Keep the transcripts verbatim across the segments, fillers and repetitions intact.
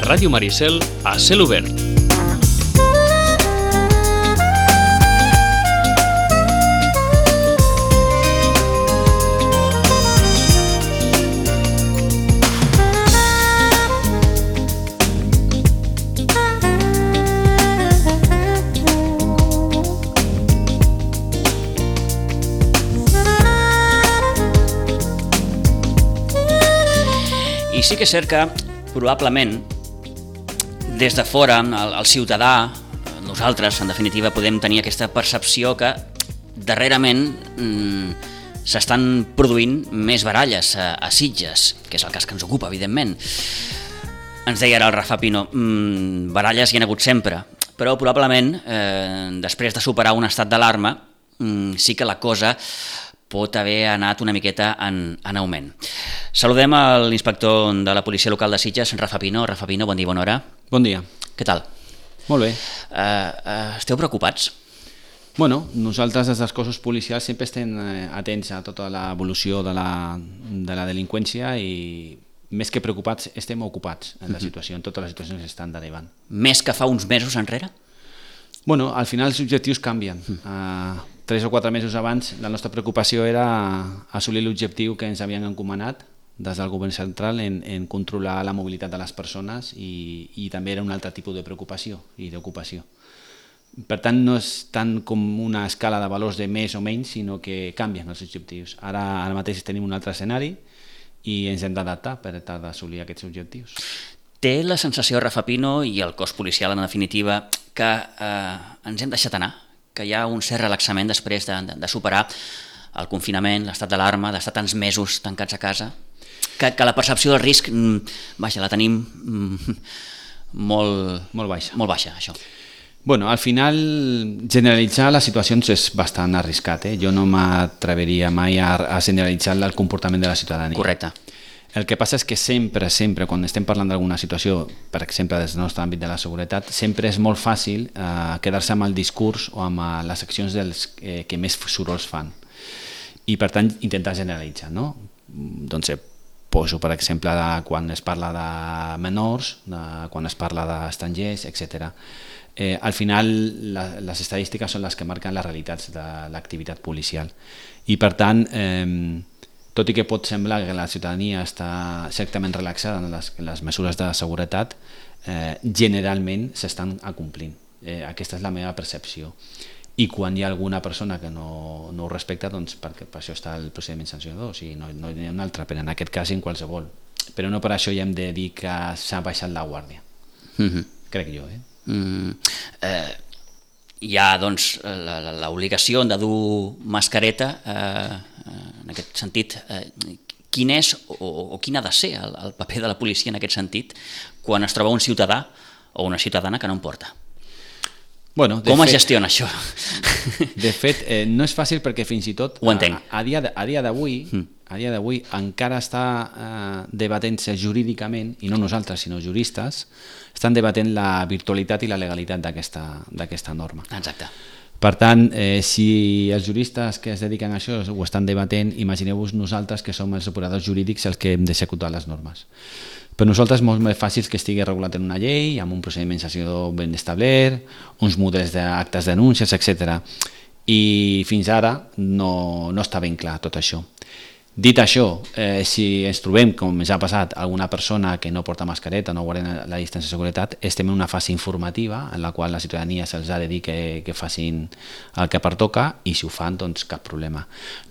Ràdio Maricel, a cel obert. I sí que és cert que, probablement, des de fora, el, el ciutadà, nosaltres, en definitiva, podem tenir aquesta percepció que darrerament mmm, s'estan produint més baralles a, a Sitges, que és el cas que ens ocupa, evidentment. Ens deia ara el Rafa Pino, mmm, baralles hi ha hagut sempre, però probablement, eh, després de superar un estat d'alarma, mmm, sí que la cosa pot haver anat una miqueta en, en augment. Saludem a l'inspector de la policia local de Sitges, Rafa Pino. Rafa Pino, bon dia, bona hora. Bon dia. Què tal? Molt bé. Uh, uh, esteu preocupats? Bueno, nosaltres des dels cossos policials sempre estem atents a tota l'evolució de la, de la delinqüència i més que preocupats estem ocupats en la situació, en totes les situacions que estan derivant. Més que fa uns mesos enrere? Bueno, al final els objectius canvien. Uh, tres o quatre mesos abans la nostra preocupació era assolir l'objectiu que ens havien encomanat des del govern central en, en controlar la mobilitat de les persones i, i també era un altre tipus de preocupació i d'ocupació. Per tant, no és tant com una escala de valors de més o menys, sinó que canvien els objectius. Ara, ara mateix tenim un altre escenari i ens hem d'adaptar per tal d'assolir aquests objectius. Té la sensació, Rafa Pino, i el cos policial en definitiva, que eh, ens hem deixat anar, que hi ha un cert relaxament després de, de, de superar el confinament, l'estat d'alarma, d'estar tants mesos tancats a casa, que, que la percepció del risc, vaja, la tenim molt, molt baixa. Molt baixa, això. Bueno, al final generalitzar les situacions és bastant arriscat, eh? Jo no m'atreviria mai a, a generalitzar el comportament de la ciutadania. Correcte. El que passa és que sempre, sempre, quan estem parlant d'alguna situació, per exemple, des del nostre àmbit de la seguretat, sempre és molt fàcil eh, quedar-se amb el discurs o amb eh, les accions dels eh, que més sorolls fan. I, per tant, intentar generalitzar, no? Doncs poso, per exemple, de quan es parla de menors, de quan es parla d'estrangers, etcètera. Eh, al final, la, les estadístiques són les que marquen les realitats de l'activitat policial. I, per tant, eh, tot i que pot semblar que la ciutadania està certament relaxada en les, en les mesures de seguretat, eh, generalment s'estan acomplint. Eh, aquesta és la meva percepció. I quan hi ha alguna persona que no, no ho respecta, doncs perquè per això està el procediment sancionador, o sigui, no, no hi ha un altre, però en aquest cas en qualsevol. Però no per això ja hem de dir que s'ha baixat la guàrdia. Mm-hmm. Crec jo, eh? Mm, eh hi ha doncs l'obligació de dur mascareta, eh, en aquest sentit, eh, quin és o, o quin ha de ser el, el paper de la policia en aquest sentit quan es troba un ciutadà o una ciutadana que no en porta? Bueno, Com fet, es gestiona això? De fet, eh, no és fàcil perquè fins i tot Ho entenc. a, a dia d'avui mm. a dia d'avui encara està eh, debatent-se jurídicament, i no nosaltres sinó juristes, estan debatent la virtualitat i la legalitat d'aquesta norma. Exacte. Per tant, eh, si els juristes que es dediquen a això ho estan debatent, imagineu-vos nosaltres que som els operadors jurídics els que hem d'executar les normes. Per nosaltres és molt més fàcil que estigui regulat en una llei, amb un procediment sancionador ben establert, uns models d'actes de denúncies, etcètera. I fins ara no, no està ben clar tot això. Dit això, eh, si ens trobem, com ens ha passat, alguna persona que no porta mascareta, no guarda la distància de seguretat, estem en una fase informativa en la qual la ciutadania se'ls ha de dir que, que facin el que pertoca i si ho fan, doncs cap problema.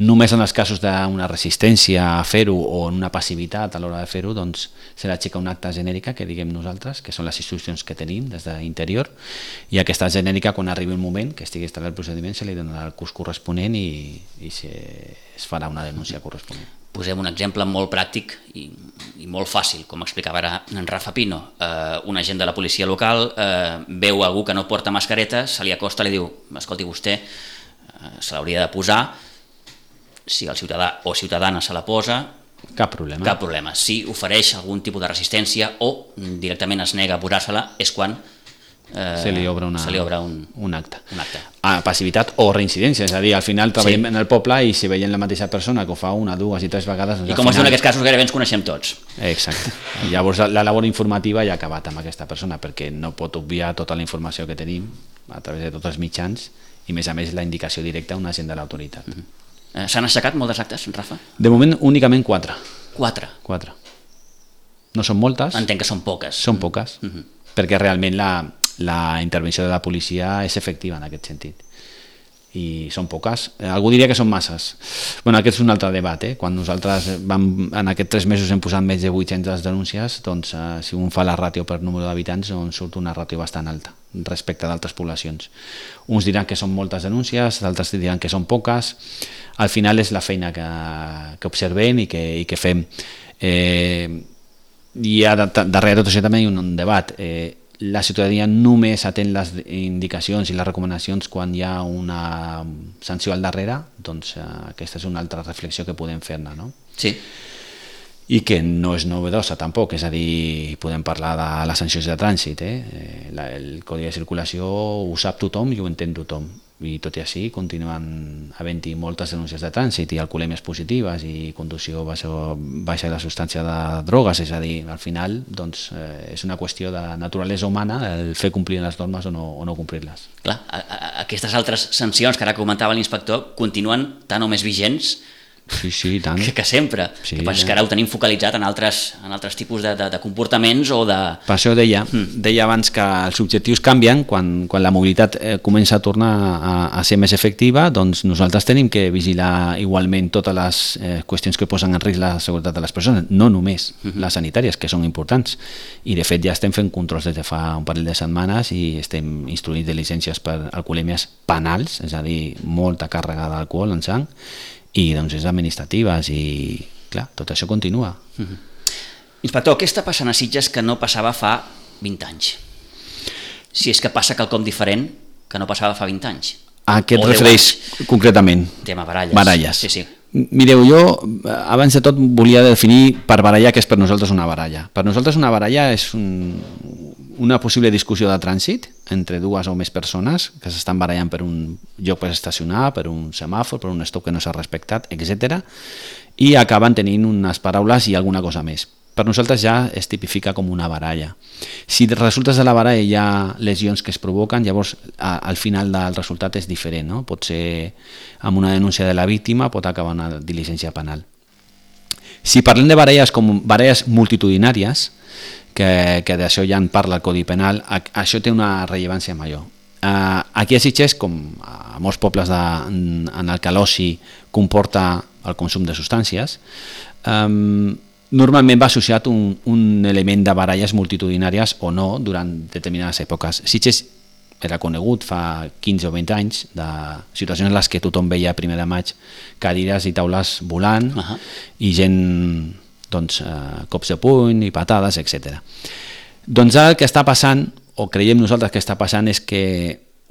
Només en els casos d'una resistència a fer-ho o en una passivitat a l'hora de fer-ho, doncs se l'aixeca una acta genèrica que diguem nosaltres, que són les instruccions que tenim des d'interior, i aquesta genèrica, quan arribi un moment que estigui instal·lat el procediment, se li donarà el curs corresponent i, i se, es farà una denúncia corresponent. Posem un exemple molt pràctic i, i molt fàcil, com explicava ara en Rafa Pino. Eh, un agent de la policia local eh, veu algú que no porta mascareta, se li acosta i li diu: escolti, vostè eh, se l'hauria de posar. Si el ciutadà o ciutadana se la posa, cap problema. Cap problema. Si ofereix algun tipus de resistència o directament es nega a posar-se-la, és quan eh, se li obre, una, se li obre un, un acte. Un acte. Ah, passivitat o reincidència, és a dir, al final treballem Sí. en el poble i si veiem la mateixa persona que ho fa una, dues i tres vegades... Doncs I com al es diu en final... aquests casos, gairebé ens coneixem tots. Exacte. Llavors la labor informativa ja ha acabat amb aquesta persona perquè no pot obviar tota la informació que tenim a través de tots els mitjans i, més a més, la indicació directa a un agent de l'autoritat. Uh -huh. eh, S'han aixecat moltes actes, Rafa? De moment, únicament quatre. Quatre. Quatre. No són moltes. Entenc que són poques. Són poques, uh -huh. perquè realment la, la intervenció de la policia és efectiva en aquest sentit. I són poques. Algú diria que són masses. Bueno, aquest és un altre debat, eh? Quan nosaltres vam, en aquests tres mesos hem posat més de vuit-centes denúncies, doncs eh, si un fa la ràtio per número d'habitants, doncs surt una ràtio bastant alta respecte d'altres poblacions. Uns diran que són moltes denúncies, d'altres diran que són poques. Al final és la feina que, que observem i que, i que fem. Eh, i a, darrere de tot això també hi ha un, un debat. Eh, la ciutadania només atén les indicacions i les recomanacions quan hi ha una sanció al darrere, doncs eh, aquesta és una altra reflexió que podem fer-ne, no? Sí. I que no és novedosa tampoc, és a dir, podem parlar de les sancions de trànsit, eh? La, el codi de circulació ho sap tothom i ho entén tothom, i tot i així continuen havent-hi moltes denúncies de trànsit i alcoholèmies positives i conducció baixa, baixa de la substància de drogues, és a dir, al final doncs, eh, és una qüestió de naturalesa humana el fer complir les normes o no, o no complir-les. Clar, a, a, aquestes altres sancions que ara comentava l'inspector continuen tan o més vigents Sí, sí, tant. que, que sempre. Sí, el que passa és que ara ho tenim focalitzat en altres, en altres tipus de, de, de comportaments o de... Per això deia, mm. deia abans que els objectius canvien quan, quan la mobilitat eh, comença a tornar a, a ser més efectiva, doncs nosaltres tenim que vigilar igualment totes les eh, qüestions que posen en risc la seguretat de les persones, no només mm -hmm. les sanitàries, que són importants. I de fet ja estem fent controls des de fa un parell de setmanes i estem instruint diligències per alcoholèmies penals, és a dir, molta càrrega d'alcohol en sang, i doncs és administratives i clar, tot això continua. Uh-huh. Inspector, què està passant a Sitges que no passava fa vint anys? Si és que passa quelcom diferent que no passava fa vint anys. A què et refereix concretament? Tema baralles. Baralles. Sí, sí. Mireu, jo abans de tot volia definir per baralla què és per nosaltres una baralla. Per nosaltres una baralla és un, una possible discussió de trànsit entre dues o més persones que s'estan barallant per un lloc per estacionar, per un semàfor, per un stop que no s'ha respectat, etcètera, i acaben tenint unes paraules i alguna cosa més. Per nosaltres ja es tipifica com una baralla. Si resultes de la baralla hi ha lesions que es provoquen, llavors a, al final del resultat és diferent, no? Pot ser amb una denúncia de la víctima, pot acabar una diligència penal. Si parlem de baralles com baralles multitudinàries, que, que d'això ja en parla el Codi Penal, això té una rellevància major. Uh, aquí a Sitges, com a molts pobles de, en, en el que l'oci comporta el consum de substàncies, um, normalment va associat un, un element de baralles multitudinàries o no durant determinades èpoques. Sitges era conegut fa quinze o vint anys de situacions en les que tothom veia a primer de maig cadires i taules volant uh-huh. i gent doncs, eh, cops de puny i patades, etcètera. Doncs ara el que està passant, o creiem nosaltres que està passant, és que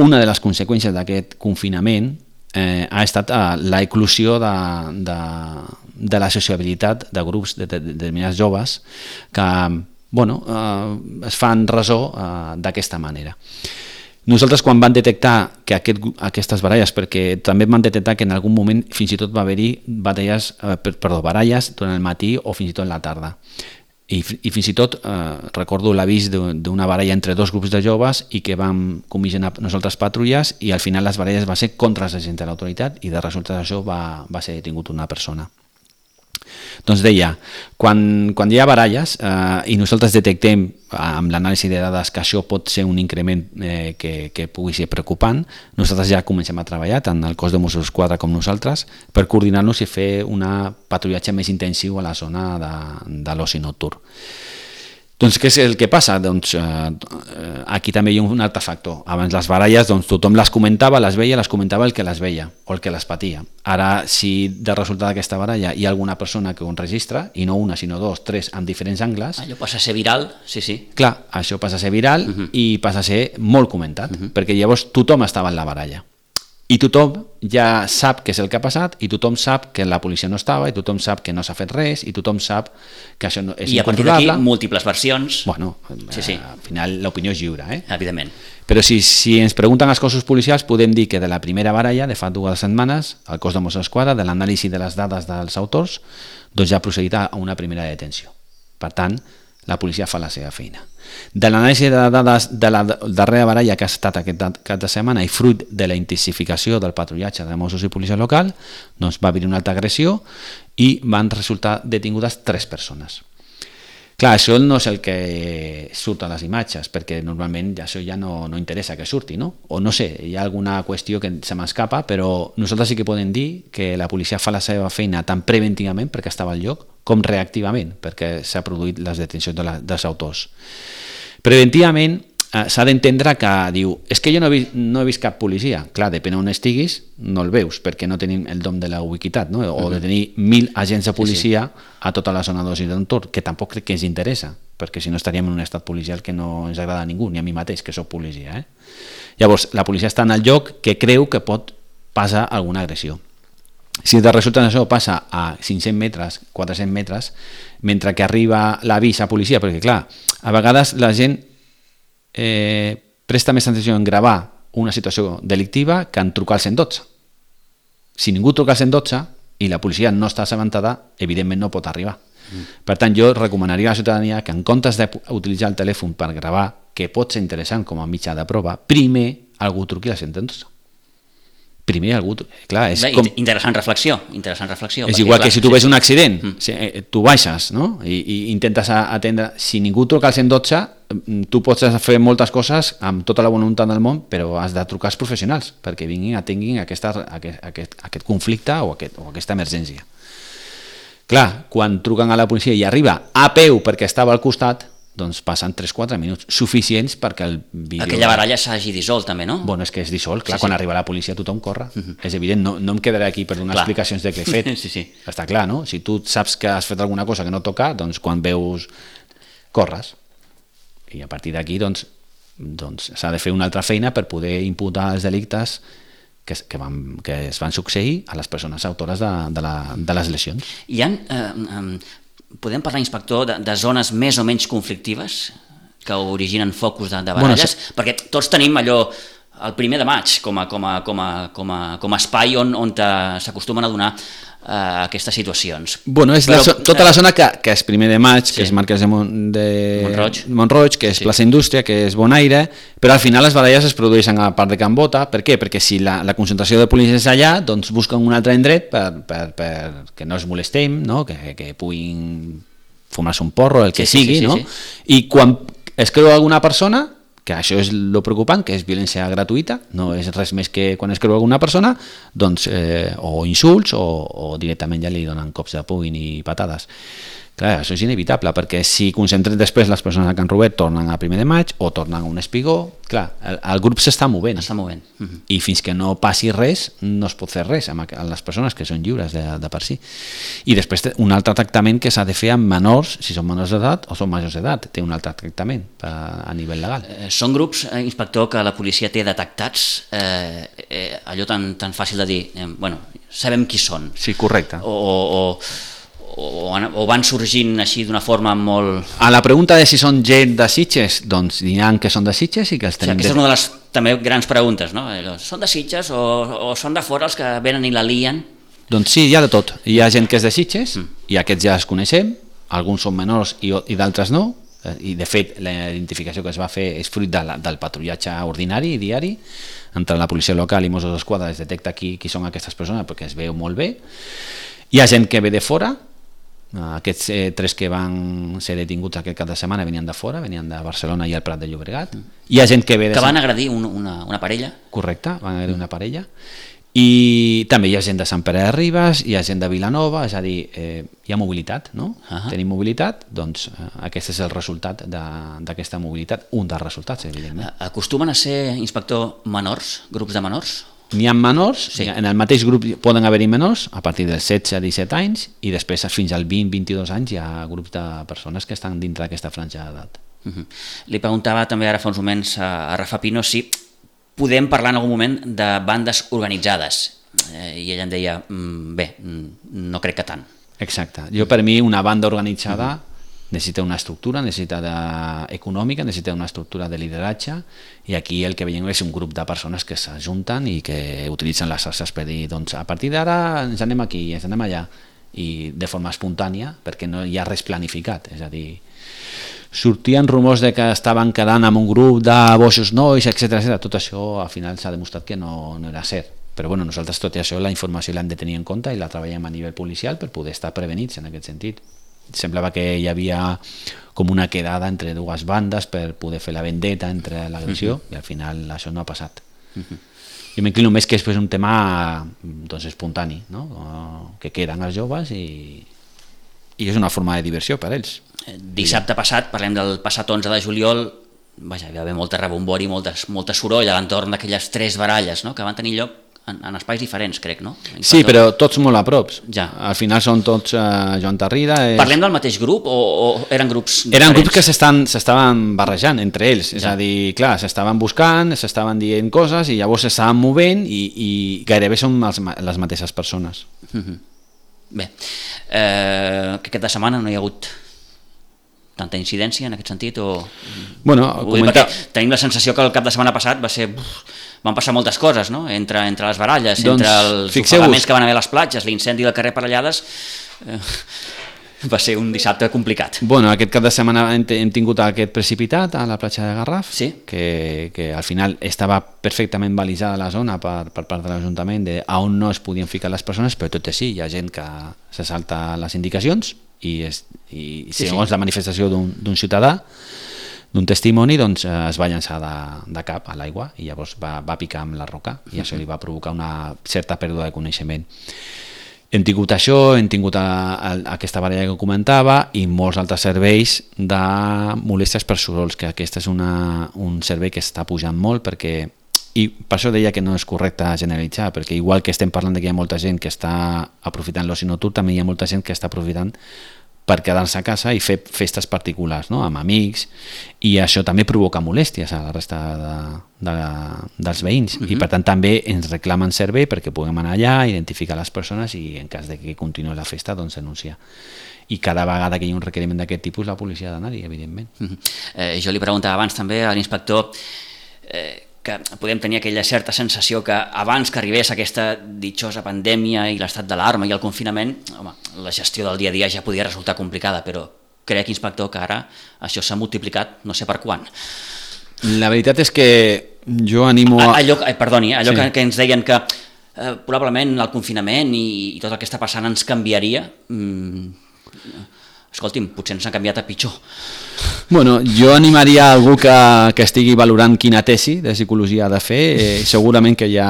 una de les conseqüències d'aquest confinament eh, ha estat eh, la eclosió de, de, de la sociabilitat de grups de, de, de determinats joves que bueno, eh, es fan ressò eh, d'aquesta manera. Nosaltres quan vam detectar que aquest, aquestes baralles, perquè també vam detectar que en algun moment fins i tot va haver-hi batalles, eh, perdó, baralles durant el matí o fins i tot en la tarda. I, i fins i tot eh, recordo l'avís d'una baralla entre dos grups de joves i que vam comissionar nosaltres patrulles i al final les baralles va ser contra els agents de l'autoritat i de resultat d'això va, va ser detingut una persona. Doncs deia, quan, quan hi ha baralles eh, i nosaltres detectem amb l'anàlisi de dades que això pot ser un increment eh, que, que pugui ser preocupant, nosaltres ja comencem a treballar, tant el cos de Mossos d'Esquadra com nosaltres, per coordinar-nos i fer un patrullatge més intensiu a la zona de, de l'oci nocturn. Doncs què és el que passa? Doncs eh, aquí també hi ha un altre factor. Abans les baralles doncs, tothom les comentava, les veia, les comentava el que les veia o el que les patia. Ara, si de resultat d'aquesta baralla hi ha alguna persona que ho enregistra, i no una, sinó dos, tres, amb diferents angles... Allò passa a ser viral, sí, sí. Clar, això passa a ser viral uh-huh. i passa a ser molt comentat, uh-huh. perquè llavors tothom estava en la baralla. i tothom ja sap què és el que ha passat i tothom sap que la policia no estava i tothom sap que no s'ha fet res i tothom sap que això no, és I a partir incontrolable. d'aquí, múltiples versions. Bueno, sí, sí. al final l'opinió és lliure, eh? Evidentment. Però si, si ens pregunten els cossos policials, podem dir que de la primera baralla, de fa dues setmanes, el cos de Mossos d'Esquadra, de l'anàlisi de les dades dels autors, doncs ja ha procedit a una primera detenció. Per tant, la policia fa la seva feina. De l'anàlisi de dades de la darrera baralla que ha estat aquest cap de setmana i fruit de la intensificació del patrullatge de Mossos i policia local, doncs va haver una altra agressió i van resultar detingudes tres persones. Clar, això no és el que surt a les imatges, perquè normalment això ja no, no interessa que surti, no? O no sé, hi ha alguna qüestió que se m'escapa, però nosaltres sí que podem dir que la policia fa la seva feina tant preventivament, perquè estava al lloc, com reactivament, perquè s'ha produït les detencions de la, dels autors. Preventivament eh, s'ha d'entendre que diu, és que jo no he, vist, no he vist cap policia. Clar, depèn on estiguis, no el veus, perquè no tenim el dom de la ubiquitat, no? O de tenir mil agents de policia sí, sí. a tota la zona dos i d'entorn, que tampoc crec que ens interessa, perquè si no estaríem en un estat policial que no ens agrada a ningú, ni a mi mateix, que soc policia. Eh? Llavors, la policia està en el lloc que creu que pot passar alguna agressió. Si de resulta això passa a cinc-cents metres, quatre-cents metres, mentre que arriba l'avís a policia, perquè clar, a vegades la gent eh, presta més atenció en gravar una situació delictiva que en trucar al cent dotze. Si ningú truca al cent dotze i la policia no està assabentada, evidentment no pot arribar. Mm. Per tant, jo recomanaria a la ciutadania que en comptes d'utilitzar el telèfon per gravar, que pot ser interessant com a mitjà de prova, primer algú truqui al cent dotze. Primer algú... Clar, és Bé, com... Interessant reflexió, interessant reflexió. És perquè, igual clar, que si tu sí, ves sí. un accident, mm. si, eh, tu baixes, no? I, i intentes atendre... Si ningú truca al cent dotze, tu pots fer moltes coses amb tota la voluntat del món, però has de trucar als professionals perquè vinguin, atenguin aquesta, aquest, aquest, aquest conflicte o, aquest, o aquesta emergència. Clar, quan truquen a la policia i arriba a peu perquè estava al costat, doncs passen tres quatre minuts suficients perquè el vídeo... Aquella baralla s'hagi dissolt també, no? Bueno, és que és dissolt, clar, sí, quan sí. arriba la policia tothom corre. Uh-huh. És evident, no, no em quedaré aquí per donar clar. explicacions de què he fet. sí, sí. Està clar, no? Si tu saps que has fet alguna cosa que no toca, doncs quan veus, corres. I a partir d'aquí, doncs, doncs s'ha de fer una altra feina per poder imputar els delictes que, que, van, que es van succeir a les persones autores de, de, la, de les lesions. Hi ha... Eh, eh, podem parlar, inspector, de, de zones més o menys conflictives que originen focus de, de baralles? Bueno, perquè tots tenim allò el primer de maig com a, com a, com a, com a, com a espai on, on s'acostumen a donar uh, aquestes situacions. Bueno, és Però, la, tota la zona que, que és primer de maig, sí. que és Marquès de, Mon, de Montroig. Montroig, que és sí. Plaça Indústria, que és Bonaire, però al final les baralles es produeixen a part de Can Bota. Per què? Perquè si la, la concentració de policia és allà, doncs busquen un altre indret per, per, per que no es molestem, no? que, que puguin fumar-se un porro, el que sí, sigui, sí, sí, no? Sí, sí. I quan es creu alguna persona, que això és el preocupant, que és violència gratuïta, no és res més que quan es creu alguna persona, doncs, eh, o insults o, o directament ja li donen cops de puny i patades. Clar, això és inevitable, perquè si concentren després les persones a Can Robert tornen a primer de maig o tornen a un espigó, clar, el, el grup s'està movent. Està movent. Uh-huh. I fins que no passi res, no es pot fer res amb les persones que són lliures de, de per si. I després un altre tractament que s'ha de fer amb menors, si són menors d'edat o són majors d'edat, té un altre tractament a, a nivell legal. Eh, són grups, eh, inspector, que la policia té detectats, eh, eh, allò tan, tan fàcil de dir, eh, bueno, sabem qui són. Sí, correcte. O... o, o O, o van sorgint així d'una forma molt... A la pregunta de si són gent de Sitges, doncs diran que són de Sitges i que els tenim... O sigui, aquesta és una de les també grans preguntes, no? Són de Sitges o, o són de fora els que venen i la lien? Doncs sí, hi ha de tot. Hi ha gent que és de Sitges mm. i aquests ja els coneixem, alguns són menors i, i d'altres no, i de fet la identificació que es va fer és fruit de la, del patrullatge ordinari i diari, entre la policia local i Mossos d'Esquadra es detecta qui, qui són aquestes persones perquè es veu molt bé. Hi ha gent que ve de fora. Aquests eh, tres que van ser detinguts aquest cap de setmana venien de fora, venien de Barcelona i el Prat de Llobregat. Hi ha gent que ve de... Que van agredir un, una, una parella. Correcte, van agredir una parella. I també hi ha gent de Sant Pere de Ribes, hi ha gent de Vilanova, és a dir, eh, hi ha mobilitat, no? Uh-huh. Tenim mobilitat, doncs eh, aquest és el resultat d'aquesta mobilitat, un dels resultats, evidentment. Acostumen a ser, inspector, menors, grups de menors? N'hi ha menors, sí. En el mateix grup poden haver-hi menors a partir dels setze a disset anys i després fins als vint a vint-i-dos anys hi ha grups de persones que estan dintre d'aquesta franja d'edat. Uh-huh. Li preguntava també ara fa uns moments a, a Rafa Pino si podem parlar en algun moment de bandes organitzades. Eh, I ella em deia, mm, bé, no crec que tant. Exacte. Jo, per mi, una banda organitzada mm-hmm. necessita una estructura, necessita de... econòmica, necessita una estructura de lideratge, i aquí el que veiem és un grup de persones que s'ajunten i que utilitzen les xarxes per dir, doncs, a partir d'ara ens anem aquí, ens anem allà, i de forma espontània, perquè no hi ha res planificat. És a dir, sortien rumors de que estaven quedant amb un grup de boixos nois, etcètera, etcètera. Tot això al final s'ha demostrat que no, no era cert. Però bueno, nosaltres tot això, la informació l'hem de tenir en compte i la treballem a nivell policial per poder estar prevenits en aquest sentit. Semblava que hi havia com una quedada entre dues bandes per poder fer la vendetta entre l'agressió, uh-huh. i al final això no ha passat. Uh-huh. Jo m'inclino més que és un tema doncs, espontani, no? Que queden els joves i, i és una forma de diversió per ells. Dissabte passat, parlem del passat onze de juliol, vaja, hi va haver molta rebombori, molta, molta soroll a l'entorn d'aquelles tres baralles, no? Que van tenir lloc en, en espais diferents, crec, no? En sí, però tots molt a prop. Ja. Al final són tots uh, Joan Tarrida. És... Parlem del mateix grup o, o eren grups diferents? Eren grups que s'estaven barrejant entre ells, ja. És a dir, clar, s'estaven buscant, s'estaven dient coses i llavors s'estaven movent i, i gairebé són els, les mateixes persones. Mm-hmm. Bé, eh, que aquesta setmana no hi ha hagut tanta incidència en aquest sentit o... Bueno, comenta... tenim la sensació que el cap de setmana passat va ser... Uf, van passar moltes coses, no? Entre, entre les baralles, doncs, entre els ofegaments que van haver a les platges, l'incendi del carrer Parellades, eh, va ser un dissabte complicat. Bueno, aquest cap de setmana hem, hem tingut aquest precipitat a la platja de Garraf, sí? que, que al final estava perfectament balitzada la zona per, per part de l'Ajuntament de on no es podien ficar les persones, però tot i així hi ha gent que se salta les indicacions i, és, i sí, segons sí. la manifestació d'un ciutadà, d'un testimoni, doncs eh, es va llançar de, de cap a l'aigua i llavors va, va picar amb la roca i això li va provocar una certa pèrdua de coneixement. Hem tingut això, hem tingut a, a, aquesta baralla que comentava i molts altres serveis de molèsties per sorolls, que aquest és una, un servei que està pujant molt perquè, i per això deia que no és correcte generalitzar, perquè igual que estem parlant que hi ha molta gent que està aprofitant l'oci nocturn, també hi ha molta gent que està aprofitant per quedar-se a casa i fer festes particulars, no? Amb amics, i això també provoca molèsties a la resta de, de, dels veïns, uh-huh. i per tant també ens reclamen servei perquè puguem anar allà, identificar les persones i en cas de que continuï la festa doncs denunciar. I cada vegada que hi ha un requeriment d'aquest tipus la policia ha d'anar-hi, evidentment. Uh-huh. eh, jo li preguntava abans també a l'inspector eh, que podem tenir aquella certa sensació que abans que arribés aquesta ditxosa pandèmia i l'estat d'alarma i el confinament, home, la gestió del dia a dia ja podia resultar complicada, però crec, inspector, que ara això s'ha multiplicat no sé per quan. La veritat és que jo animo... A, allò, eh, perdoni, allò sí. que, que ens deien que eh, probablement el confinament i, i tot el que està passant ens canviaria... Mm, escolti'm, potser ens ha canviat a pitjor. Bueno, jo animaria a algú que, que estigui valorant quina tesi de psicologia ha de fer, eh, segurament que ja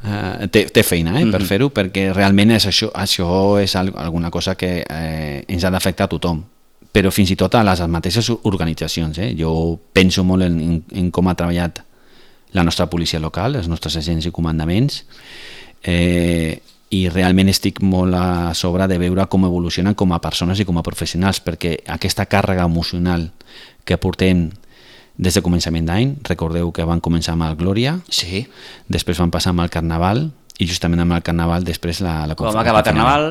eh, té, té feina eh, per mm-hmm. fer-ho, perquè realment és això, això és alguna cosa que eh, ens ha d'afectar a tothom, però fins i tot a les mateixes organitzacions. Eh? Jo penso molt en, en, en com ha treballat la nostra policia local, els nostres agents i comandaments, eh, i realment estic molt a sobre de veure com evolucionen com a persones i com a professionals, perquè aquesta càrrega emocional que portem des de començament d'any, recordeu que van començar amb el Glòria, sí. després van passar amb el Carnaval, i justament amb el Carnaval després la, la com va acabar el Carnaval,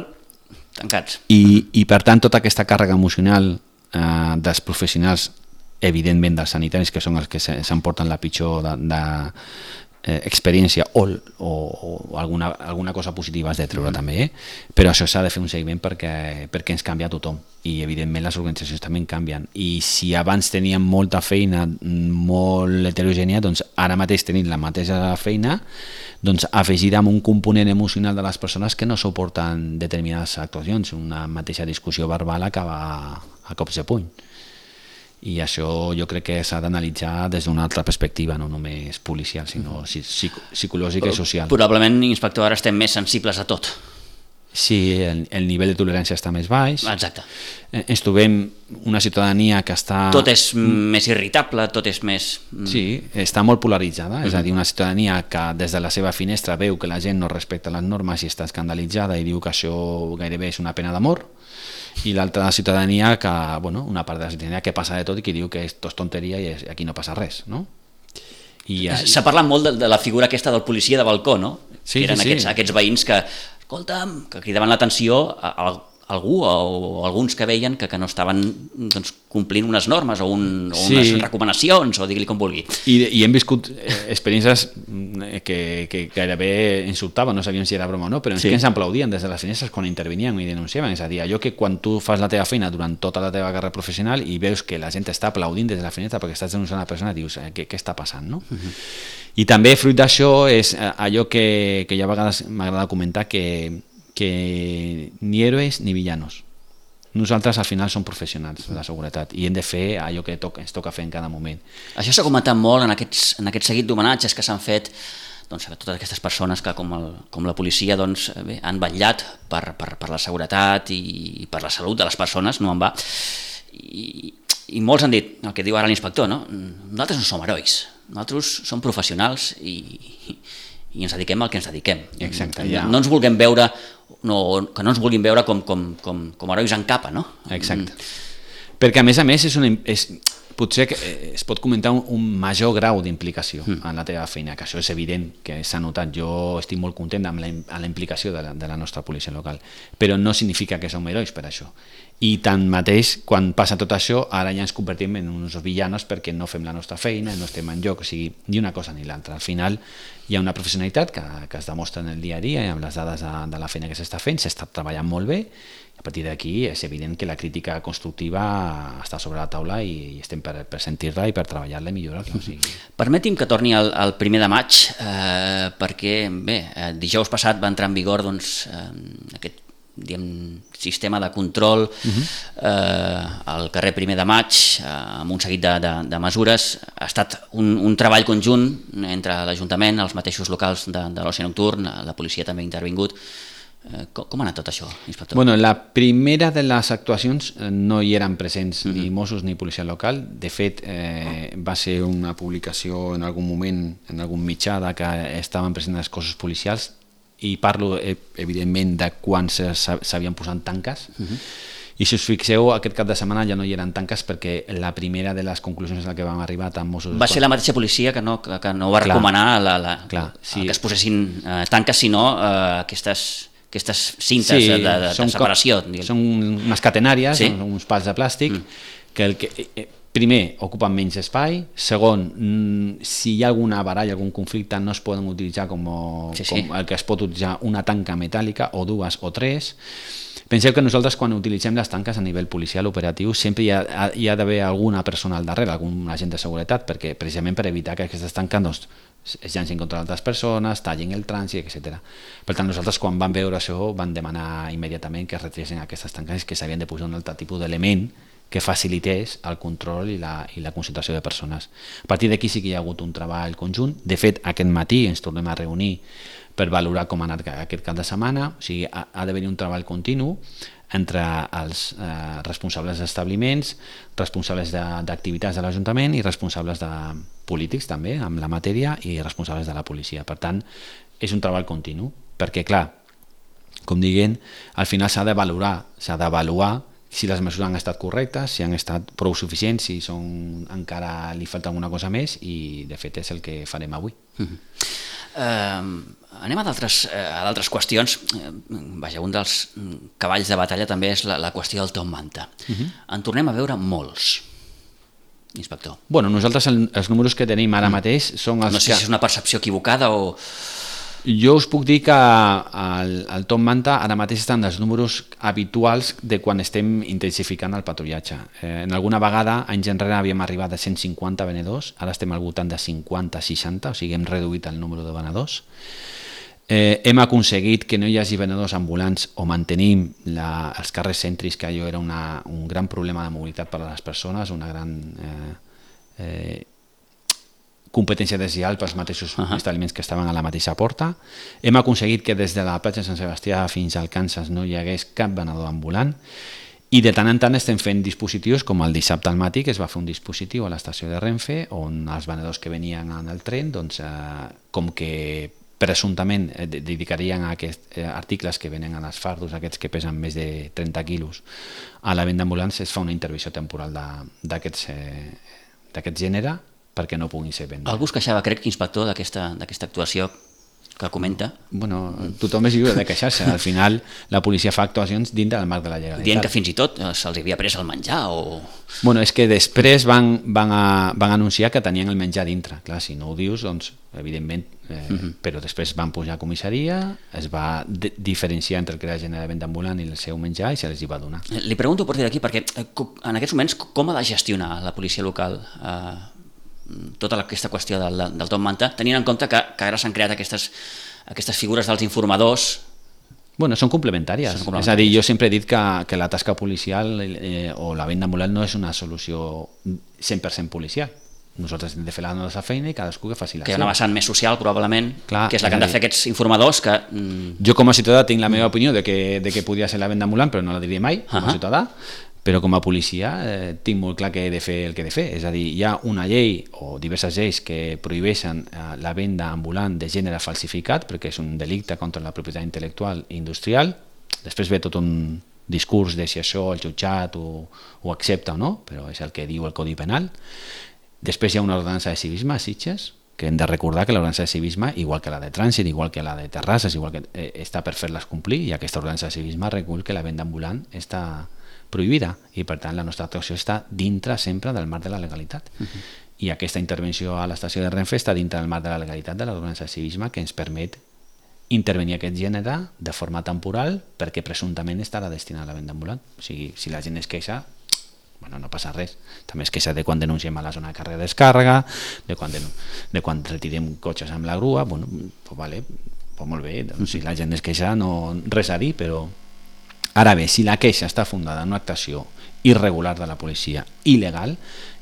tancats. I, i per tant tota aquesta càrrega emocional eh, dels professionals, evidentment dels sanitaris, que són els que s'emporten la pitjor de, de Eh, experiència o, o, o alguna, alguna cosa positiva has de treure mm-hmm. també, eh? Però això s'ha de fer un seguiment perquè, perquè ens canvia tothom i evidentment les organitzacions també canvien, i si abans teníem molta feina molt heterogènia, doncs ara mateix tenim la mateixa feina, doncs afegida amb un component emocional de les persones que no suporten determinades actuacions, una mateixa discussió verbal acaba a cops de puny. I això jo crec que s'ha d'analitzar des d'una altra perspectiva, no només policial, sinó psicològica i social. Probablement, inspector, ara estem més sensibles a tot. Sí, el, el nivell de tolerància està més baix. Exacte. Ens trobem una ciutadania que està... Tot és més irritable, tot és més... Sí, està molt polaritzada, és a dir, una ciutadania que des de la seva finestra veu que la gent no respecta les normes i està escandalitzada i diu que això gairebé és una pena d'amor, i l'altra ciutadania que, bueno, una part de la ciutadania que passa de tot i que diu que és tot tonteria i aquí no passa res, no? S'ha parlat molt de, de la figura aquesta del policia de balcó, no? Sí, que eren sí, aquests, sí. aquests veïns que, escolta'm, que cridaven l'atenció a, a algú o, o alguns que veien que, que no estaven doncs, complint unes normes o, un, o unes Sí. recomanacions, o digui-li com vulgui. I, i hem viscut eh, experiències que, que gairebé insultaven, no sabíem si era broma o no, però Sí. sí. que ens aplaudien des de les finestres quan intervenien i denunciaven. És a dir, allò que quan tu fas la teva feina durant tota la teva carrera professional i veus que la gent està aplaudint des de la finestra perquè estàs denunciant una persona, dius, eh, què, què està passant, no? Uh-huh. I també fruit d'això és eh, allò que, que ja a vegades m'agrada comentar, que, que ni héroes ni villanos. Nosaltres al final som professionals de la seguretat i hem de fer allò que toca, ens toca fer en cada moment. Això s'ha comentat molt en, aquests, en aquest seguit d'homenatges que s'han fet doncs, a totes aquestes persones que, com, el, com la policia, doncs, bé, han vetllat per, per, per la seguretat i per la salut de les persones, no en va. I, i molts han dit, el que diu ara l'inspector, no? Nosaltres no som herois, nosaltres som professionals i, i ens dediquem al que ens dediquem. Exacte, no, ja. no ens vulguem veure, no, que no ens vulguin veure com, com, com, com herois en capa, no? Exacte. Mm. Perquè a més a més és una, és, potser que es pot comentar un, un major grau d'implicació mm. en la teva feina, que això és evident que s'ha notat. Jo estic molt content amb la, amb la implicació de la, de la nostra policia local, però no significa que som herois per això. I tanmateix, quan passa tot això, ara ja ens convertim en uns villanos perquè no fem la nostra feina, no estem en lloc, o sigui, ni una cosa ni l'altra. Al final hi ha una professionalitat que, que es demostra en el dia a dia i amb les dades de, de la feina que s'està fent, s'està treballant molt bé, i a partir d'aquí és evident que la crítica constructiva està sobre la taula i, i estem per, per sentir-la i per treballar-la i millorar-la. O sigui. Permeti'm que torni al, al primer de maig, eh, perquè bé, eh, dijous passat va entrar en vigor doncs, eh, aquest diguem, sistema de control uh-huh. eh, al carrer primer de maig eh, amb un seguit de, de, de mesures. Ha estat un, un treball conjunt entre l'Ajuntament, els mateixos locals de, de l'oci nocturn, la policia també ha intervingut. Eh, com, com ha anat tot això, inspector? Bueno, la primera de les actuacions no hi eren presents uh-huh. ni Mossos ni policia local. De fet, eh, va ser una publicació en algun moment en algun mitjà de que estaven presents els cossos policials, i parlo evidentment de quan s'havien posat tanques uh-huh. i si us fixeu aquest cap de setmana ja no hi eren tanques perquè la primera de les conclusions a la que vam arribar tant Mossos va ser la mateixa policia que no, que, que no va clar, recomanar la, la, clar, sí. que es posessin eh, tanques sinó eh, aquestes, aquestes cintes sí, de, de, de separació com, són unes catenàries, sí? uns pals de plàstic mm. que el que eh, primer, ocupen menys espai. Segon, si hi ha alguna baralla, algun conflicte, no es poden utilitzar com, sí, sí. com el que es pot utilitzar una tanca metàl·lica o dues o tres. Penseu que nosaltres quan utilitzem les tanques a nivell policial operatiu sempre hi ha, hi ha d'haver alguna persona al darrere, algun agent de seguretat, perquè precisament per evitar que aquestes tanques doncs, es llancin contra altres persones, tallin el trànsit, etcètera. Per tant, nosaltres quan vam veure això vam demanar immediatament que es retiressin aquestes tanques i que s'havien de posar un altre tipus d'element que facilités el control i la, i la concentració de persones. A partir d'aquí sí que hi ha hagut un treball conjunt. De fet, aquest matí ens tornem a reunir per valorar com ha anat aquest cap de setmana. O sigui, ha, ha d'haver-hi un treball continu entre els eh, responsables d'establiments, responsables d'activitats de, de l'Ajuntament i responsables de polítics també, amb la matèria, i responsables de la policia. Per tant, és un treball continu, perquè, clar, com diguen, al final s'ha de valorar, s'ha d'avaluar si les mesures han estat correctes, si han estat prou suficients, si són, encara li falta alguna cosa més, i de fet és el que farem avui. Uh-huh. Uh, anem a d'altres uh, qüestions. Uh, vaja, un dels cavalls de batalla també és la, la qüestió del Top Manta. Uh-huh. En tornem a veure molts, inspector. Bueno, nosaltres el, els números que tenim ara mateix són els no sé que... si és una percepció equivocada o... Jo us puc dir que el, el Top Manta ara mateix estan els números habituals de quan estem intensificant el patrullatge. Eh, en alguna vegada, anys enrere, havíem arribat a cent cinquanta venedors, ara estem al voltant de cinquanta a seixanta, o sigui, hem reduït el número de venedors. Eh, hem aconseguit que no hi hagi venedors ambulants o mantenim la, els carrers cèntrics, que allò era una, un gran problema de mobilitat per a les persones, una gran... Eh, eh, competència deslleial pels mateixos uh-huh. establiments que estaven a la mateixa porta. Hem aconseguit que des de la platja de Sant Sebastià fins al Kansas no hi hagués cap venedor ambulant, i de tant en tant estem fent dispositius, com el dissabte al matí, que es va fer un dispositiu a l'estació de Renfe, on els venedors que venien en el tren, doncs, eh, com que presumptament eh, dedicarien a aquests eh, articles que venen en els fardos, aquests que pesen més de trenta quilos, a la venda ambulants, es fa una intervenció temporal d'aquest eh, gènere, perquè no puguin ser vendes. Algú es queixava, crec, inspector, d'aquesta actuació que comenta. Bueno, tothom és lliure de queixar-se. Al final, la policia fa actuacions dintre del marc de la legalitat. Dient que fins i tot se'ls havia pres el menjar o... Bueno, és que després van, van, a, van anunciar que tenien el menjar dintre. Clar, si no ho dius, doncs, evidentment, eh, uh-huh. però després van pujar a comissaria, es va diferenciar entre el que era gent de venda ambulant i el seu menjar i se les hi va donar. Li pregunto a partir d'aquí, perquè en aquests moments com ha de gestionar la policia local eh, tota aquesta qüestió del, del top manta, tenint en compte que, que ara s'han creat aquestes, aquestes figures dels informadors. Bueno, són complementàries. Són complementàries. És a dir, jo sempre he dit que, que la tasca policial eh, o la venda ambulant no és una solució cent per cent policial. Nosaltres hem de fer la nostra feina i cadascú que faci la seva. Que hi ha una vessant més social, probablement, clar, que és la que han de fer aquests informadors que... Mm... Jo com a ciutadà tinc la meva opinió de que, de que podria ser la venda ambulant, però no la diria mai, com a uh-huh. ciutadà. Però com a policia eh, tinc molt clar que he de fer el que he de fer. És a dir, hi ha una llei o diverses lleis que prohibeixen eh, la venda ambulant de gènere falsificat, perquè és un delicte contra la propietat intel·lectual i industrial. Després ve tot un discurs de si això el jutjat ho, ho accepta o no, però és el que diu el Codi Penal. Després hi ha una ordenança de civisme a Sitges, que hem de recordar que l'ordenança de civisme, igual que la de trànsit, igual que la de terrasses, igual que eh, està per fer-les complir, i aquesta ordenança de civisme recull que la venda ambulant està prohibida i per tant la nostra actuació està dintre sempre del marc de la legalitat. Uh-huh. I aquesta intervenció a l'estació de Renfe està dintre del marc de la legalitat de l'ordenança de civisme que ens permet intervenir aquest gènere de forma temporal perquè presumptament estarà destinat a la venda ambulant. O sigui, si la gent es queixa, bueno, no passa res. També es queixa de quan denunciem a la zona de càrrega i descàrrega, de quan, de, de quan retirem cotxes amb la grua, bueno, pues vale, pues molt bé, doncs, si la gent es queixa no res a dir, però ara bé, si la queixa està fundada en una actuació irregular de la policia, il·legal,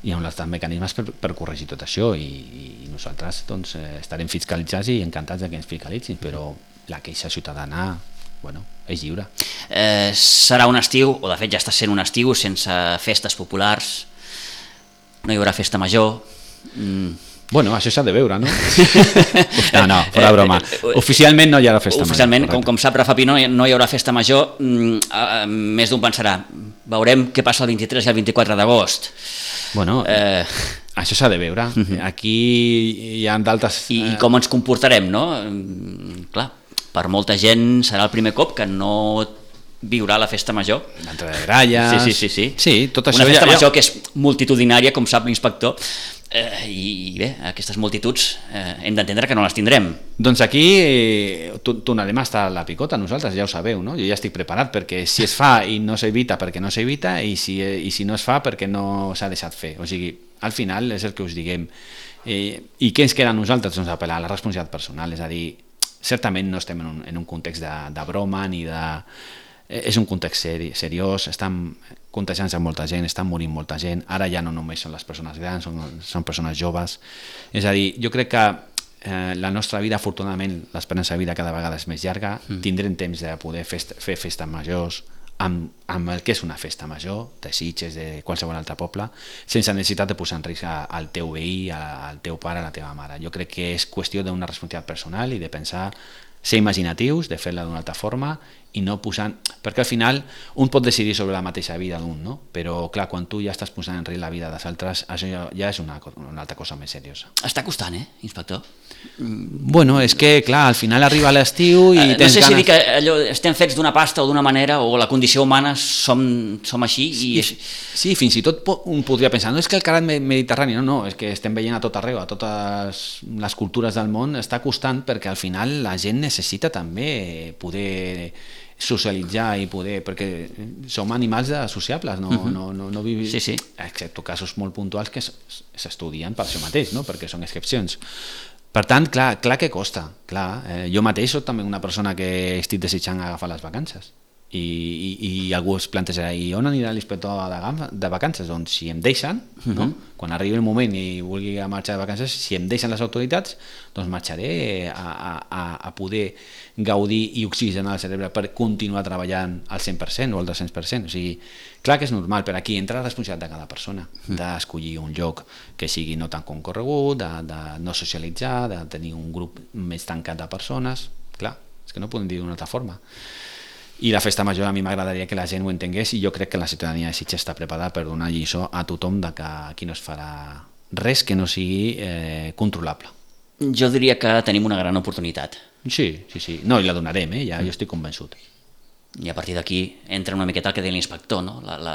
hi ha uns mecanismes per, per corregir tot això i, i nosaltres doncs, estarem fiscalitzats i encantats que ens fiscalitzin, però la queixa ciutadana, bueno, és lliure. Eh, serà un estiu, o de fet ja està sent un estiu, sense festes populars, no hi haurà festa major... Mm. Bueno, això s'ha de veure, no? No, no, fora broma. Oficialment no hi haurà festa Oficialment, major. Com, com sap Rafa Pino, no hi haurà festa major. Mm, uh, més d'un pensarà, veurem què passa el vint-i-tres i el vint-i-quatre d'agost. Bueno, eh... això s'ha de veure. Uh-huh. Aquí hi ha d'altres... I, I com ens comportarem, no? Mm, clar, per molta gent serà el primer cop que no viurà la festa major. L'entrada de gralles... Sí, sí, sí. sí. sí tot això Una festa ja, major ja... que és multitudinària, com sap l'inspector, eh, i bé, aquestes multituds eh, hem d'entendre que no les tindrem. Doncs aquí eh, tornarem a estar a la picota, nosaltres ja ho sabeu, no? Jo ja estic preparat perquè si es fa i no s'evita perquè no s'evita i si, eh, i si no es fa perquè no s'ha deixat fer. O sigui, al final és el que us diguem. Eh, I què ens queda a nosaltres? Doncs apel·lar a la responsabilitat personal, és a dir, certament no estem en un, en un context de, de broma ni de... És un context seri, seriós, estan contagiant-se molta gent, estan morint molta gent, ara ja no només són les persones grans, són, són persones joves. És a dir, jo crec que eh, la nostra vida, afortunadament, l'esperança de vida cada vegada és més llarga, mm. tindrem temps de poder festa, fer festes majors, amb, amb el que és una festa major, de Sitges, de qualsevol altre poble, sense necessitat de posar en risc al teu veí, al teu pare, a la teva mare. Jo crec que és qüestió d'una responsabilitat personal i de pensar, ser imaginatius, de fer-la d'una altra forma i no posant... Perquè al final un pot decidir sobre la mateixa vida d'un, no? Però clar, quan tu ja estàs posant en risc la vida dels altres, això ja, ja és una, una altra cosa més seriosa. Està costant, eh, inspector? Bueno, és que clar, al final arriba l'estiu i eh, tens no sé ganes... si dir que allò, estem fets d'una pasta o d'una manera, o la condició humana som, som així i... Sí, sí, fins i tot un podria pensar, no és que el carat mediterrani, no, no, és que estem veient a tot arreu, a totes les cultures del món, està costant perquè al final la gent necessita també poder socialitzar i poder, perquè som animals sociables, no, uh-huh. no, no, no vivim, sí, sí. excepte casos molt puntuals que s'estudien per això mateix, no? Perquè són excepcions. Per tant, clar, clar que costa, clar. Eh, jo mateix soc també una persona que estic desitjant agafar les vacances. I, i, i algú es plantejarà, i on anirà l'inspector de, de vacances? Doncs si em deixen, uh-huh. no? Quan arribi el moment i vulgui marxar de vacances, si em deixen les autoritats, doncs marxaré a, a, a poder gaudir i oxigenar el cerebre per continuar treballant al cent per cent o al dos-cents per cent. O sigui, clar que és normal, però aquí entra la responsabilitat de cada persona, uh-huh. d'escollir un lloc que sigui no tan concorregut, de, de no socialitzar, de tenir un grup més tancat de persones. Clar, és que no podem dir d'una altra forma. I la festa major a mi m'agradaria que la gent ho entengués i jo crec que la ciutadania de Sitges està preparada per donar lliçó a tothom de que aquí no es farà res que no sigui eh, controlable. Jo diria que tenim una gran oportunitat. Sí, sí, sí. No, i la donarem, eh? Ja, jo estic convençut. I a partir d'aquí entra una miqueta el que deia l'inspector, no? la, la,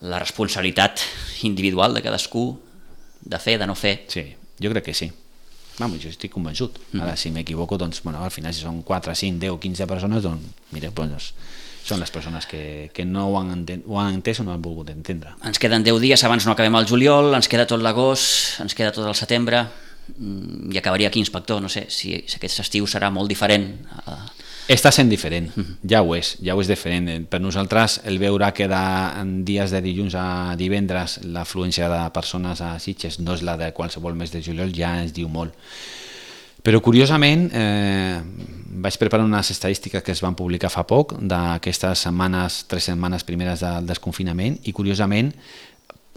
la responsabilitat individual de cadascú de fer, de no fer. Sí, jo crec que sí. Vamos, jo estic convençut. Ara, si m'equivoco, doncs, bueno, al final, si són quatre, cinc, deu, quinze persones, doncs, mira, doncs, són les persones que, que no ho han, enten, ho han entès o no han volgut entendre. Ens queden deu dies, abans no acabem el juliol, ens queda tot l'agost, ens queda tot el setembre, i acabaria aquí, inspector, no sé, si, si aquest estiu serà molt diferent. Està sent diferent, ja ho és, ja ho és diferent. Per nosaltres, el veure que en dies de dilluns a divendres l'afluència de persones a Sitges no és la de qualsevol mes de juliol, ja ens diu molt. Però curiosament, eh, vaig preparar unes estadístiques que es van publicar fa poc d'aquestes setmanes, tres setmanes primeres del desconfinament, i curiosament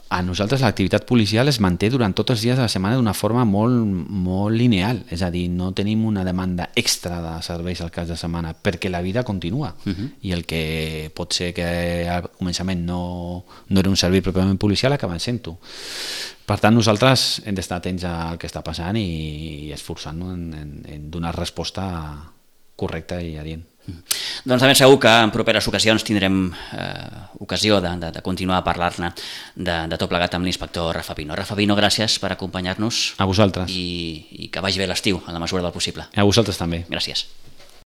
a nosaltres l'activitat policial es manté durant tots els dies de la setmana d'una forma molt, molt lineal, és a dir, no tenim una demanda extra de serveis al cas de setmana, perquè la vida continua, uh-huh. i el que pot ser que al començament no, no era un servei pròpiament policial acaba sent-ho. Per tant, nosaltres hem d'estar atents al que està passant i, i esforçant-nos en, en, en donar resposta correcta i adient. Doncs de ben segur que en properes ocasions tindrem eh, ocasió de, de, de continuar a parlar-ne de, de tot plegat amb l'inspector Rafa Pino. Rafa Pino, gràcies per acompanyar-nos. A vosaltres. I, i que vagi bé l'estiu, en la mesura del possible. A vosaltres també. Gràcies.